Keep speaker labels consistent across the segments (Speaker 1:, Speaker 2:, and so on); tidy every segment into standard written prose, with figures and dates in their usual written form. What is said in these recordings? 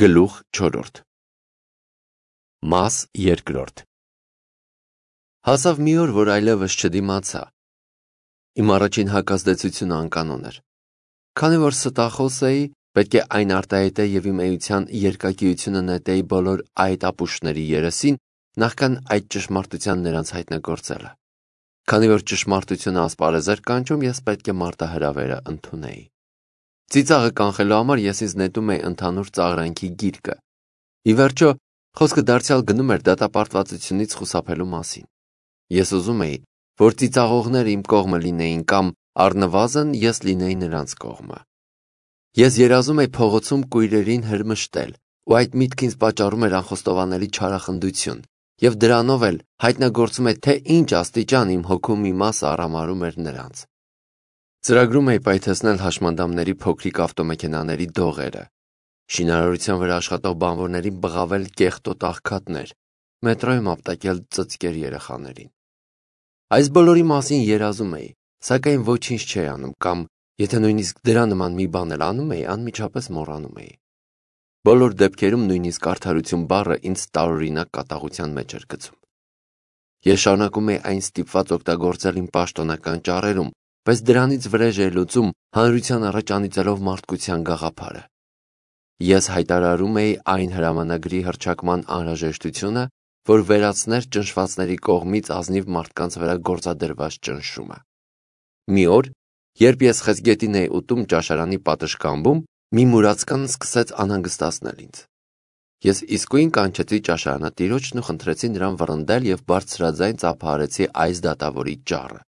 Speaker 1: Գլուխ 4 Մաս 2 Հասավ մի օր, որ այլևս չդիմացա։ Իմ առաջին հակազդեցությունը անկանոն էր։ Քանի որ ստախոս էի, պետք է այն արտահայտեի և իմ էության երկակիությունը նետեի բոլոր այդ ապուշների երեսին, նախքան այդ ճշմարտության նրանց հայտնագործելը։ Քանի որ ճշմարտությունը ասպարեզ էր կանչում, ես պետք է մարտահրավերը ընդունեի։ Ծիծաղը կանխելու համար ես ինձ նետում էի ընդհանուր ծաղրանքի գիրկը։ Ի վերջո, խոսքը դարձյալ գնում էր դատապարտվածությունից խուսափելու մասին։ Ես ուզում էի, որ ծիծաղողները իմ կողմը լինեին կամ առնվազն ես լինեի նրանց կողմը։ Ես երազում էի փողոցում կույրերին հրմշտել, ու այդ միտքը ինձ պատճառում էր անխոստովանելի չարախնդություն, և դրանով էլ հայտնագործում է, թե ինչ աստիճան իմ հոգու մի մասը արամարում էր նրանց։ Ծրագրում էի պայթեցնել հաշմանդամների փոքրիկ ավտոմեքենաների դողերը, շինարարության վրա աշխատող բանվորներին բղավել կեղտոտ աղքատներ, մետրոյում ապտակել ծծկեր երեխաներին։ Այս բոլորի մասին երազում էի, սակայն ոչինչ չէի անում կամ, եթե նույնիսկ դրա նման մի բան էլ անում էի, անմիջապես մոռանում էի։ Բոլոր դեպքերում նույնիսկ արդարություն բառը ինձ տարօրինակ կատաղության մեջ էր գցում։ Ես շարունակում էի այն ստիպված օգտագործել իմ պաշտոնական ճառերում, բայց դրանից վրեժ էի լուծում հանրության առաջ անիծելով մարդկության գաղափարը։ Ես հայտարարում էի այն հրամանագրի հռչակման անհրաժեշտությունը, որ վերացներ ճնշվածների կողմից ազնիվ մարդկանց վրա գործադրված ճնշումը։ Մի օր, երբ ես խեցգետին էի ուտում ճաշարանի պատշգամբում, մի մուրացկան սկսեց անհանգստացնել ինձ։ Ես իսկույն կանչեցի ճաշարանատիրոջն ու խնդրեցի նրան վռնդել և բարձրաձայն ծափահարեցի այս դատավորի ճառը։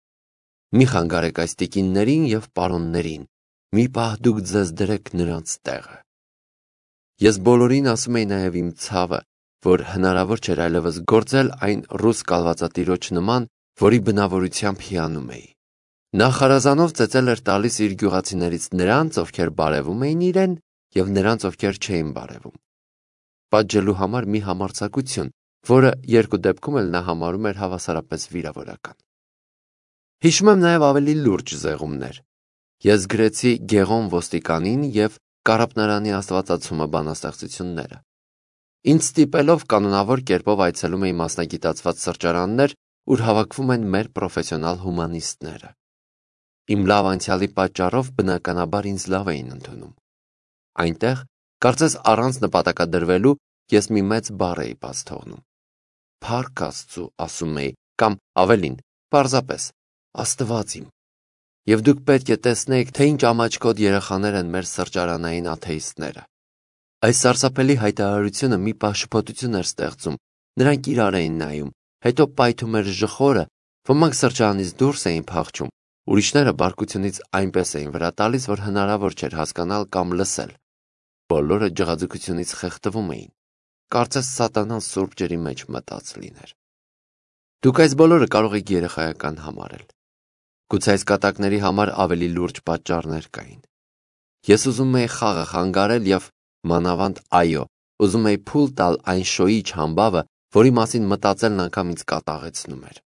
Speaker 1: Մի խանգարեք այս տիկիններին և պարոններին, մի պահ դուք ձեզ դրեք նրանց տեղը։ Ես բոլորին ասում էի նաև իմ ցավը, որ հնարավոր չէր այլևս գործել այն ռուս կալվածատիրոջ նման, որի բնավորությամբ հիանում էի։ Նա խարազանով ծեծել էր տալիս իր գյուղացիներից նրանց, ովքեր բարևում էին իրեն, և նրանց, ովքեր չէին բարևում։ Պատժելու համար մի համարձակություն, որը երկու դեպքում էլ նա համարում էր հավասարապես վիրավորական։ Հիշում եմ նաև ավելի լուրջ զեղումներ։ Ես գրեցի Գեղոմ ոստիկանին և Կարապնարանի աստվածացումը բանաստեղծությունները։ Ինձ ստիպելով կանոնավոր կերպով այցելում էի մասնագիտացված սրճարաններ, ուր հավաքվում են մեր պրոֆեսիոնալ հումանիստները։ Իմ լավ անցյալի պատճառով բնականաբար ինձ լավ էին ընդունում։ Այնտեղ, կարծես առանց նպատակադրվելու, ես մի մեծ բառ էի բաց թողնում։ Փառք Աստծու, ասում էի, կամ ավելին, պարզապես Աստված իմ։ Եվ դուք պետք է տեսնեիք, թե ինչ ամաչկոտ երեխաներ են մեր սրճարանային աթեիստները։ Այս սարսափելի հայտարարությունը մի պահ շփոթություն էր ստեղծում, նրանք իրար էին նայում, հետո պայթում էր ժխորը, ոմանք սրճարանից դուրս էին փախչում, ուրիշները բարկությունից այնպես էին վրա տալիս, որ հնարավոր չէր հասկանալ կամ լսել։ Բոլորը ջղաձգությունից խեղդվում էին, կարծես սատանան սուրբ ջրի մեջ մտած լիներ։ Դուք այս բոլորը կարող եք երեխայական համարել։ Գուցե այս կատակների համար ավելի լուրջ պատճառներ կային։ Ես ուզում էի խաղը խանգարել և, մանավանդ այո, ուզում էի փուլ տալ այն շոյիչ համբավը, որի մասին մտածելն անգամ ինձ կատաղեցնում էր։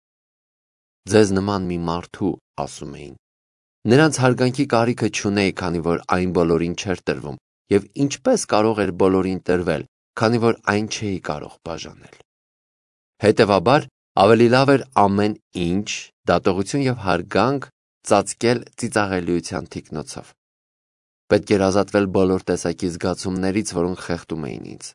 Speaker 1: Ձեզ նման մի մարդու, ասում էին։ Նրանց հարգանքի կարիքը չունեի, քանի որ այն բոլորին չէր տրվում, և ինչպես կարող էր բոլորին տրվել, քանի որ այն չէի կարող բաժանել։ Հետևաբար, ավելի լավ էր ամեն ինչ, դատողություն և հարգանք ծածկել ծիծաղելիության թիկնոցով։ Պետք էր ազատվել բոլոր տեսակի զգացումներից, որոնք խեղդում էին ինձ։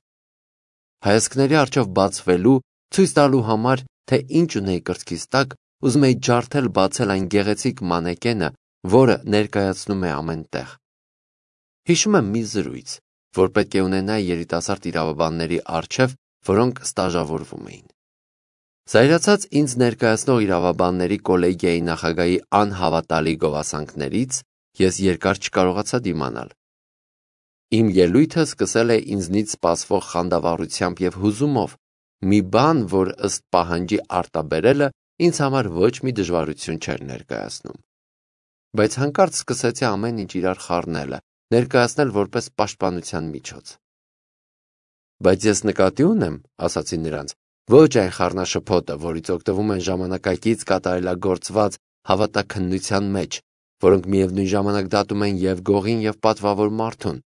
Speaker 1: Հայացքների առջև բացվելու, ցույց տալու համար, թե ինչ ունեի կրծքիս տակ, ուզում էի ջարդել բացել այն գեղեցիկ մանեկենը, որը ներկայացնում է ամեն տեղ։ Հիշում եմ մի զրույց, որ պետք է ունենայի երիտասարդ իրավաբանների առջև, որոնք ստաժավորվում էին։ Զայրացած ինձ ներկայացնող իրավաբանների կոլեգիայի նախագահի անհավատալի գովասանքներից ես երկար չկարողացա դիմանալ։ Իմ ելույթը սկսել է ինձնից սպասվող խանդավառությամբ և հուզումով, մի բան, որ ըստ պահանջի արտաբերելը ինձ համար ոչ մի դժվարություն չէր ներկայացնում։ Բայց հանկարծ սկսեցի ամեն ինչ իրար խառնելը, ներկայացնել որպես պաշտպանության միջոց։ Բայց ես նկատի ունեմ, ասացի նրանց, ոչ այն խառնաշփոթը, որից օգտվում են ժամանակակից կատարելագործված հավատաքննության մեջ, որոնք միևնույն ժամանակ դատում են և գողին, և պատվավոր մարդուն,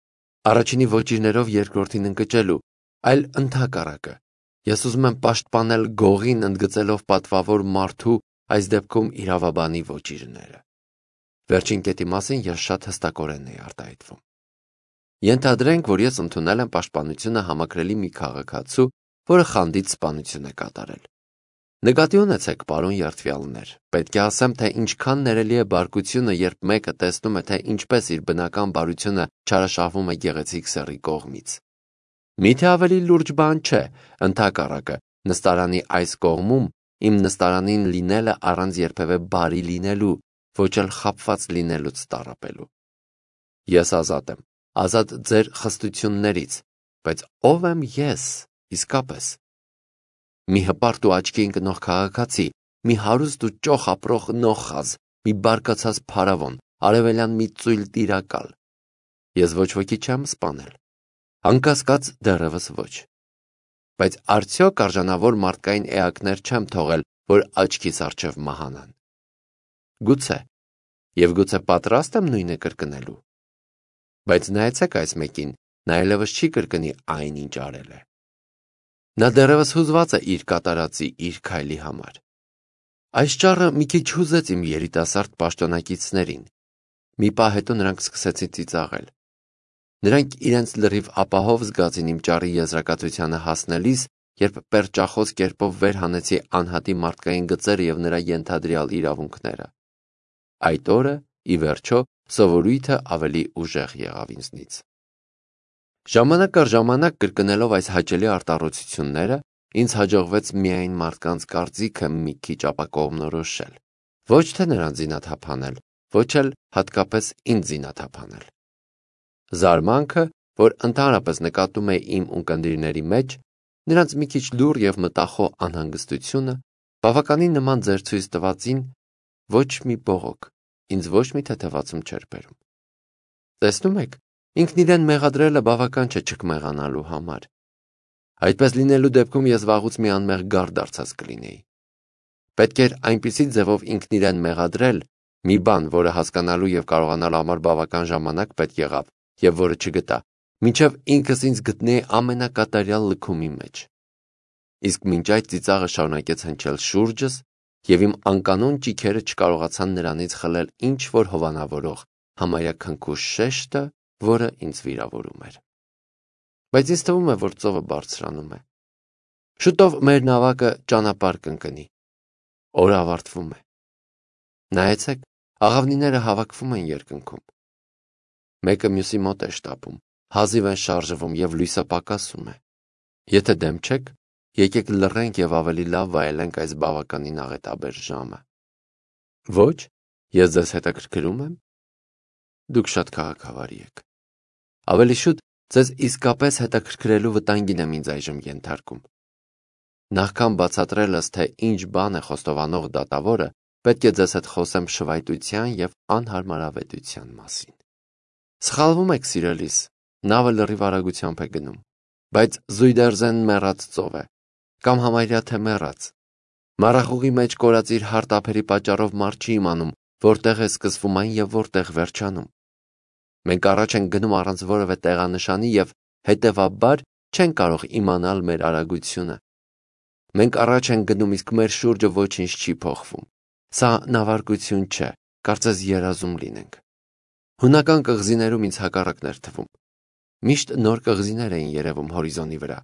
Speaker 1: Առաջինի ոճիրներով երկրորդին ընկճելու, այլ ընդհակառակը։ Ես ուզում եմ պաշտպանել գողին ընդգծելով պատվավոր մարդու, այս դեպքում իրավաբանի ոճիրները։ Վերջին կետի մասին ես շատ հստակորեն էի արտահայտվում։ Ենթադրենք, որ ես ընդունել եմ պաշտպանությունը համակրելի մի քաղաքացու, որը խանդից սպանություն է կատարել։ Նկատի ունեցեք, պարոն երդվյալներ, պետք է ասեմ, թե ինչքան ներելի է բարկությունը, երբ մեկը տեսնում է, թե ինչպես իր բնական բարությունը չարաշահվում է գեղեցիկ սեռի կողմից։ Միթե ավելի լուրջ բան չէ, ընդհակառակը, նստարանի այս կողմում իմ նստարանին լինելը առանց երբևէ բարի լինելու, ոչ էլ խաբված լինելուց տառապելու։ Ես ազատ եմ, ազատ ձեր խստություններից, բայց ով եմ ես, իսկապես։ Մի հպարտ ու աչքի ընկնող քաղաքացի, մի հարուստ ու ճոխ ապրող նոխազ, մի բարկացած փարավոն, արևելյան մի ծույլ տիրակալ։ Ես ոչ ոքի չեմ սպանել, անկասկած դեռևս ոչ։ Բայց արդյոք արժանավոր մարդկային էակներ չեմ թողել, որ աչքիս առջև մահանան։ Գուցե, եւ գուցե պատրաստ եմ նույնը կրկնելու։ Բայց նայեցեք այս մեկին, նա այլևս չի կրկնի այն, ինչ արել է։ Նա դեռևս հուզված է իր կատարածի, իր քայլի համար։ Այս ճառը մի քիչ հուզեց իմ երիտասարդ պաշտոնակիցներին։ Մի պահ հետո նրանք սկսեցին ծիծաղել։ Նրանք իրենց լրիվ ապահով զգացին իմ ճառի եզրակացությանը հասնելիս, երբ պերճախոս կերպով վեր հանեցի անհատի մարդկային գծերը եւ նրա ենթադրյալ իրավունքները։ Այդ օրը, ի վերջո, սովորույթը ավելի ուժեղ եղավ ինձնից։ Ժամանակ առ ժամանակ կրկնելով այս հաճելի արտառոցությունները, ինձ հաջողվեց միայն մարդկանց կարծիքը մի քիչ ապակողմնորոշել, ոչ թե նրանց զինաթափանել, ոչ էլ հատկապես ինձ զինաթափանել։ Զարմանքը, որ ընդհանրապես նկատում էի իմ ունկնդիրների մեջ, նրանց մի քիչ լուռ եւ մտախոհ անհանգստությունը, բավականին նման ձեր ցույց տվածին, ոչ մի բողոք, ինձ ոչ մի թեթևացում չէր բերում։ Տեսնում եք, ինքն իրեն մեղադրելը բավական չէ չկմեղանալու համար։ Այդպես լինելու դեպքում ես վաղուց մի անմեղ գառ դարձած կլինեի։ Պետք էր այնպիսի ձևով ինքն իրեն մեղադրել, մի բան, որը հասկանալու եւ կարողանալու համար բավական ժամանակ պետք եղավ, եւ որը չգտա, մինչեւ ինքս ինձ գտնեի ամենակատարյալ լքումի մեջ։ Իսկ մինչ այդ ծիծաղը շարունակեց հնչել շուրջս, եւ իմ անկանոն ճիքերը չկարողացան նրանից խլել ինչ որ հովանավորող, համարյա քնքուշ շեշտը, որը ինձ վիրավորում էր։ Բայց ինձ թվում է, որ ծովը բարձրանում է։ Շուտով մեր նավակը ճանապարհ կընկնի։ Օրը ավարտվում է։ Նայեցեք, աղավնիները հավաքվում են երկնքում։ Մեկը մյուսի մոտ է շտապում, հազիվ են շարժվում եւ լույսը պակասում է։ Եթե դեմ չեք, եկեք լռենք եւ ավելի լավ վայելենք այս բավականին աղետաբեր ժամը։ Ոչ, ես ձեզ հետաքրքրում եմ։ Դուք շատ քաղաքավարի եք։ Ավելի շուտ ձեզ իսկապես հետաքրքրելու վտանգին եմ ինձ այժմ ենթարկում։ Նախքան բացատրելս, թե ինչ բան է խոստովանող դատավորը, պետք է ձեզ հետ խոսեմ շվայտության եւ անհարմարավետության մասին։ Սխալվում եք, սիրելիս, նավը լրիվ արագությամբ է գնում, բայց Զույդերզեն մեռած ծով է, կամ համարյա թե մեռած։ Մառախուղի մեջ կորած իր հարթ ափերի պատճառով մարդ չի իմանում, որտեղ է սկսվում այն եւ որտեղ վերջանում։ Մենք առաջ ենք գնում առանց որևէ տեղանշանի եւ հետեւաբար չեն կարող իմանալ մեր արագությունը։ Մենք առաջ ենք գնում, իսկ մեր շուրջը ոչինչ չի փոխվում։ Սա նավարկություն չէ, կարծես երազում լինենք։ Հունական կղզիներում ինձ հակառակն էր թվում։ Միշտ նոր կղզիներ էին երևում հորիզոնի վրա։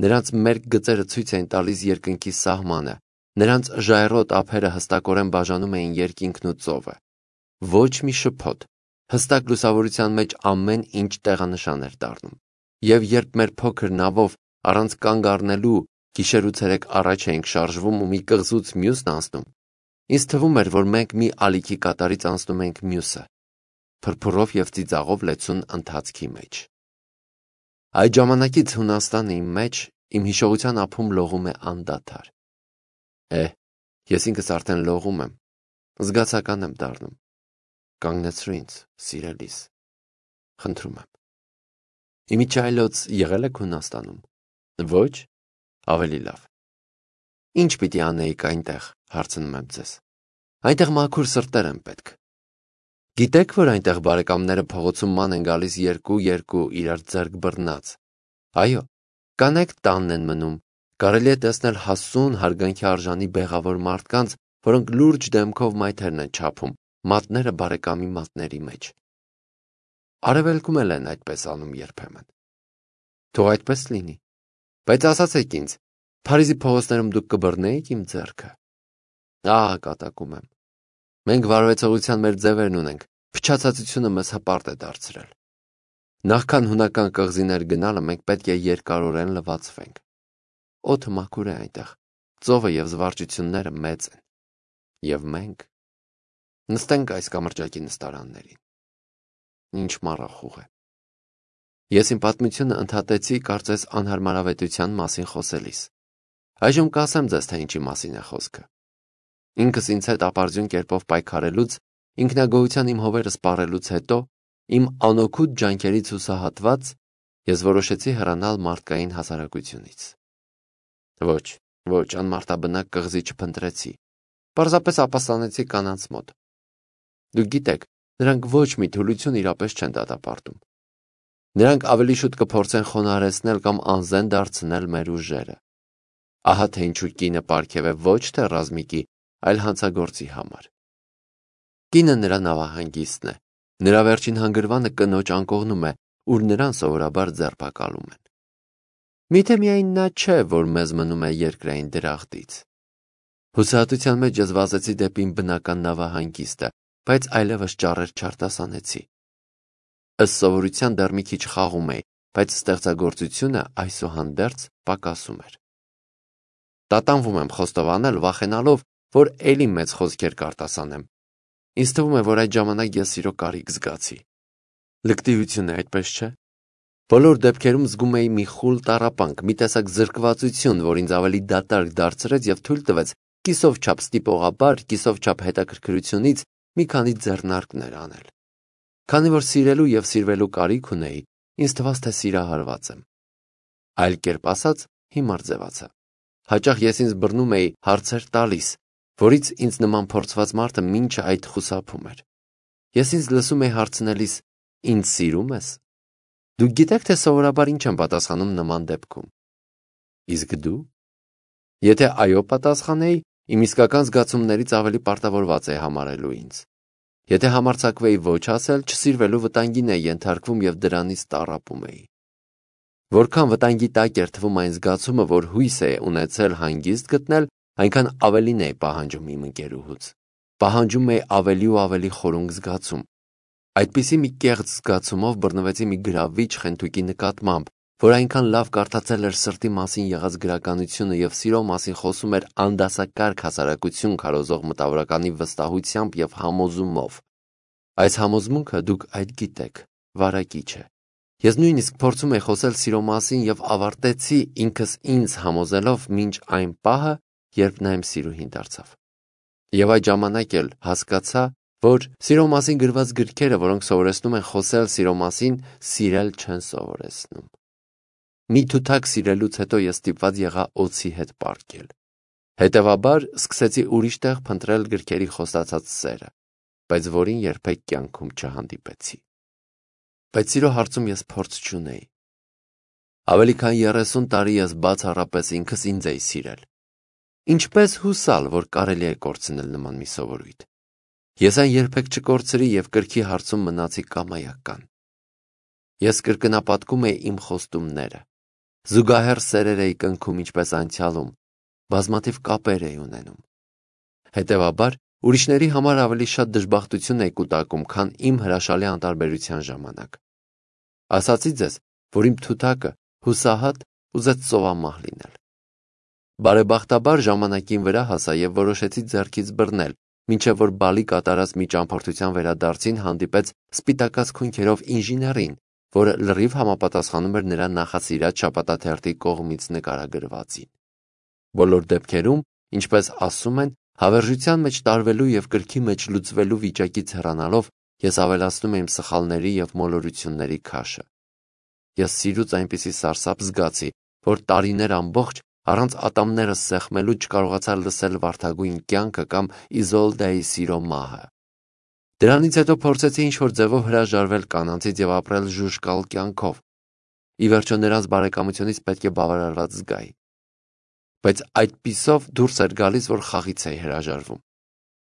Speaker 1: Նրանց մերկ գծերը ցույց էին տալիս երկնքի սահմանը, նրանց ժայռոտ ափերը հստակորեն բաժանում էին երկինքն ու ծովը։ Ոչ մի շփոթ, հստակ լուսավորության մեջ ամեն ինչ տեղանշան էր դառնում։ Եվ երբ մեր փոքր նավով առանց կանգ առնելու գիշեր ու ցերեկ առաջ էինք շարժվում ու մի կղզուց մյուսն անցնում, ինձ թվում էր, որ մենք մի ալիքի կատարից անցնում ենք մյուսը, փրփուրով եւ ծիծաղով լեցուն ընթացքի մեջ։ Այդ ժամանակից Հունաստանը իմ մեջ, իմ հիշողության ափում լողում է անդադար։ Ես ինքս արդեն լողում եմ, զգացական եմ դառնում։ Կանգնեցրու ինձ, սիրելիս, խնդրում եմ։ Իմիջայլոց եղել եք Հունաստանում։ Ոչ, ավելի լավ։ Ինչ պիտի անեիք այնտեղ, հարցնում եմ ձեզ։ Այնտեղ մաքուր սրտեր են պետք։ Գիտեք, որ այնտեղ բարեկամները փողոցում ման են գալիս երկու իրար ձեռք բռնած։ Այո, կանայք տանն են մնում, կարելի է տեսնել հասուն հարգանքի արժանի բեղավոր մարդկանց, որոնք լուրջ դեմքով մայթերն են չափում, մատները բարեկամի մատների մեջ։ Արևելքում էլ են այդպես անում երբեմն։ Թող այդպես լինի, բայց ասացեք ինձ, Փարիզի փողոցներում դուք կբռնեիք իմ ձեռքը։ Ահա կատակում եմ։ Մենք վարվեցողության մեր ձևերն ունենք, փչացածությունը մեզ հպարտ է դարձրել։ Նախքան հունական կղզիներ գնալը մենք պետք է երկարորեն լվացվենք։ Օդը մաքուր է այնտեղ, ծովը և զվարճությունները մեծ են։ Եվ մենք նստենք այս կամրջակի նստարաններին։ Ինչ մառախուղ է։ Ես իմ պատմությունը ընդհատեցի կարծես անհարմարավետության մասին խոսելիս։ Այժմ կասեմ ձեզ, թե ինչի մասին է խոսքը։ Ինքս ինձ հետ ապարդյուն կերպով պայքարելուց, ինքնագոհության իմ հովերը սպառելուց հետո, իմ անօգուտ ջանքերից հուսահատված, ես որոշեցի հեռանալ մարդկային հասարակությունից։ Ոչ, անմարդաբնակ կղզի չփնտրեցի, պարզապես ապաստանեցի կանանց մոտ։ Դուք գիտեք, նրանք ոչ մի թուլություն իրապես չեն դատապարտում։ Նրանք ավելի շուտ կփորձեն խոնարհեցնել կամ անզեն դարձնել մեր ուժերը։ Ահա թե ինչու կինը պարգև է ոչ թե ռազմիկի, այլ հանցագործի համար։ Կինը նրա նավահանգիստն է, նրա վերջին հանգրվանը կնոջ անկողնում է, ուր նրան սովորաբար ձերբակալում են։ Միթե միայն նա չէ, որ մեզ մնում է երկրային դրախտից։ Հուսահատության մեջ ես վազեցի դեպի իմ բնական նավահանգիստը, բայց այլևս ճառեր չարտասանեցի։ Ըստ սովորության դեռ մի քիչ խաղում էի, բայց ստեղծագործությունը այսուհանդերձ պակասում էր։ Տատանվում եմ խոստովանել, վախենալով, որ էլի մեծ խոսքեր կարտասանեմ։ Ինձ թվում է, որ այդ ժամանակ ես սիրո կարիք զգացի։ Լկտիություն է, այդպես չէ։ Բոլոր դեպքերում զգում էի մի խուլ տառապանք, մի տեսակ զրկվածություն, որ ինձ ավելի դատարկ դարձրեց և թույլ տվեց կիսով չափ ստիպողաբար, կիսով չափ հետաքրքրությունից մի քանի ձեռնարկներ անել։ Քանի որ սիրելու և սիրվելու կարիք ունեի, ինձ թվաց, թե սիրահարված եմ։ Այլ կերպ ասած, հիմար ձևացա։ Հաճախ ես ինձ բռնում էի հարցեր տալիս, որից ինձ նման փորձված մարդը մինչը այդ խուսափում էր։ Ես ինձ լսում էի հարցնելիս. «Ինձ սիրում ես»։ Դուք գիտեք, թե սովորաբար ինչ եմ պատասխանում նման դեպքում։ Իսկ դու։ Եթե այո պատասխանեի, իմ իսկական զգացումներից ավելի պարտավորված էի համարելու ինձ։ Եթե համարձակվեի ոչ ասել, չսիրվելու վտանգին էի ենթարկվում և դրանից տառապում էի։ Որքան վտանգի տակ էր թվում այն զգացումը, որ հույս է ունեցել հանգիստ գտնել, այնքան ավելին էի պահանջում իմ ընկերուհուց։ Պահանջում էի ավելի ու ավելի խորունկ զգացում։ Այդպիսի մի կեղծ զգացումով բռնվեցի մի գրավիչ խենթուկի նկատմամբ, որ այնքան լավ կարդացել էր սրտի մասին եղած գրականությունը և սիրո մասին խոսում էր անդասակարգ հասարակություն քարոզող մտավորականի վստահությամբ և համոզումով։ Այս համոզմունքը, դուք այդ գիտեք, վարակիչ է։ Ես նույնիսկ փորձում էի խոսել սիրո մասին և ավարտեցի ինքս ինձ համոզելով մինչ այն պահը, երբ նա իմ սիրուհին դարձավ։ Եվ այդ ժամանակ էլ հասկացա, որ սիրո մասին գրված գրքերը, որոնք սովորեցնում են խոսել սիրո մասին, սիրել չեն սովորեցնում։ Մի թութակ սիրելուց հետո ես ստիպված եղա օձի հետ պառկել։ Հետևաբար սկսեցի ուրիշ տեղ փնտրել գրքերի խոստացած սերը, բայց որին երբեք կյանքում չհանդիպեցի։ Բայց սիրո հարցում ես փորձ չունեի։ Ավելի քան 30 տարի ես բացառապես ինքս ինձ էի սիրել։ Ինչպես հուսալ, որ կարելի է կորցնել նման մի սովորույթ։ Ես այն երբեք չկորցրի և կրքի հարցում մնացի կամայական։ Ես կրկնապատկում էի իմ խոստումները։ Զուգահեռ սերեր էի կնքում ինչպես անցյալում, բազմաթիվ կապեր էի ունենում։ Հետևաբար, ուրիշների համար ավելի շատ դժբախտություն էի կուտակում, քան իմ հրաշալի անտարբերության ժամանակ։ Ասացի ձեզ, որ իմ թութակը հուսահատ ուզեց ծովամահ լինել։ Բարեբախտաբար ժամանակին վրա հասա և որոշեցի ձեռքից բռնել, մինչև որ բալի կատարած մի ճամփորդության վերադարձին հանդիպեց սպիտակած քունքերով ինժեներին, որը լրիվ համապատասխանում էր նրա նախասիրած շաբաթաթերթի կողմից նկարագրվածին։ Բոլոր դեպքերում, ինչպես ասում են, հավերժության մեջ տարվելու և կրքի մեջ լուծվելու վիճակից հեռանալով, ես ավելացնում եմ սխալների և մոլորությունների քաշը։ Ես սիրուց այնպիսի սարսափ զգացի, որ տարիներ ամբողջ առանց ատամներս սեղմելու չկարողացա լսել վարդագույն կյանքը կամ Իզոլդայի սիրո մահը։ Դրանից հետո փորձեցի ինչ-որ ձևով հրաժարվել կանանցից եւ ապրել ժուժկալ կյանքով։ Ի վերջո նրանց բարեկամությունից պետք է բավարարված զգայի։ Բայց այդպիսով դուրս էր գալիս, որ խաղից էի հրաժարվում։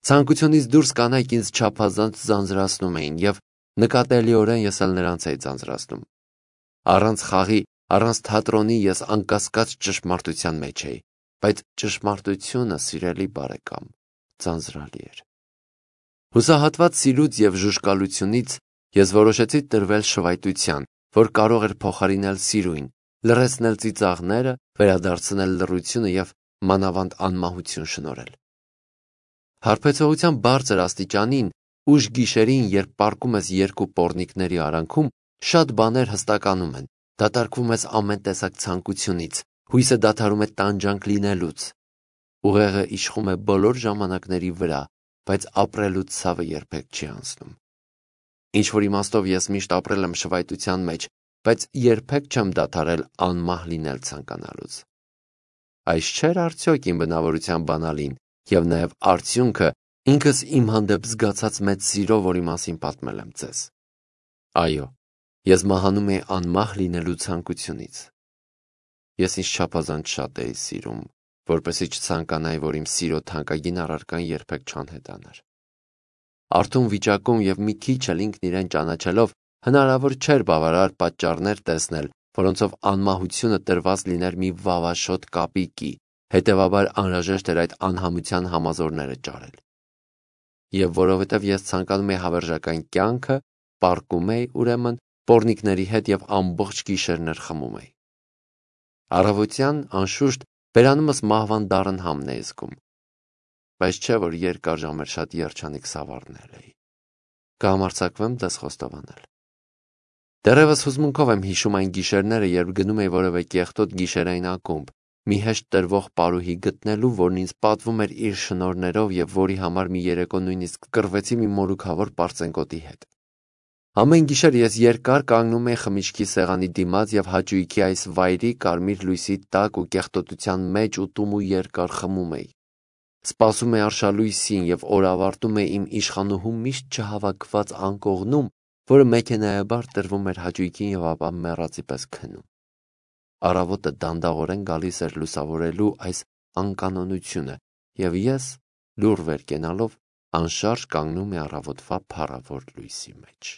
Speaker 1: Ցանկությունից դուրս կանայք ինձ չափազանց ձանձրացնում էին եւ նկատելիորեն ես էլ նրանց էի ձանձրացնում։ Առանց խաղի, առանց թատրոնի ես անկասկած ճշմարտության մեջ էի, բայց ճշմարտությունը, սիրելի բարեկամ, ձանձրալի էր։ Հուսահատված սիրուց եւ ժուժկալությունից ես որոշեցի տրվել շվայտության, որ կարող էր փոխարինել սիրույն, լռեցնել ծիծաղները, վերադարձնել լռությունը եւ մանավանդ անմահություն շնորհել։ Հարբեցողության բարձր աստիճանին, ուշ գիշերին, երբ պառկում ես երկու պոռնիկների արանքում, շատ բաներ հստականում են, դատարկվում ես ամեն տեսակ ցանկությունից, հույսը դադարում է տանջանք լինելուց։ Ուղեղը իշխում է բոլոր ժամանակների վրա, բայց ապրելու ցավը երբեք չի անցնում։ Ինչ-որ իմաստով ես միշտ ապրել եմ շվայտության մեջ, բայց երբեք չեմ դադարել անմահ լինել ցանկանալուց։ Այս չէր արդյոք իմ բնավորության բանալին եւ նաեւ արդյունքը ինքս իմ հանդեպ զգացած մեծ սիրո, որի մասին պատմել եմ ձեզ։ Այո, ես մահանում էի անմահ լինելու ցանկությունից։ Ես ինձ չափազանց շատ էի սիրում, որպեսզի չցանկանայի, որ իմ սիրո թանկագին առարկան երբեք չանհետանար։ Արթուն վիճակում եւ մի քիչ էլ ինքն իրեն ճանաչելով հնարավոր չէր բավարար պատճառներ տեսնել, որոնցով անմահությունը տրված լիներ մի վավաշոտ կապիկի, հետևաբար անհրաժեշտ էր այդ անհամության համազորները ճարել։ Եվ որովհետև ես ցանկանում էի հավերժական կյանքը, պառկում էի, ուրեմն, պոռնիկների հետ եւ ամբողջ գիշերներ խմում էի։ Առավոտյան, անշուշտ, բերանումս մահվան դառն համն էի զգում, բայց չէ որ երկար ժամեր շատ երջանիկ սավառնել էի։ Կհամարձակվեմ ձեզ խոստովանել։ Դեռևս հուզմունքով եմ հիշում այն գիշերները, երբ գնում էի որևէ կեղտոտ գիշերային ակումբ, մի հեշտ տրվող պարուհի գտնելու, որն ինձ պատվում էր իր շնորհներով եւ որի համար մի երեկո նույնիսկ կռվեցի մի մորուքավոր պարծենկոտի հետ։ Ամեն գիշեր ես երկար կանգնում էի խմիչքի սեղանի դիմաց եւ հաճույքի այս վայրի կարմիր լույսի տակ ու կեղտոտության մեջ ուտում ու երկար խմում էի։ Սպասում էի արշալույսին եւ օրավարտում էի իմ իշխանուհու միշտ չհավաքված անկողնում, որը մեքենայաբար տրվում էր հաճույքին եւ ապա մեռածի պես քնում։ Առավոտը դանդաղորեն գալիս էր լուսավորելու այս անկանոնությունը եւ ես, լուռ վեր կենալով, անշարժ կանգնում էի առավոտվա փառավոր լույսի մեջ։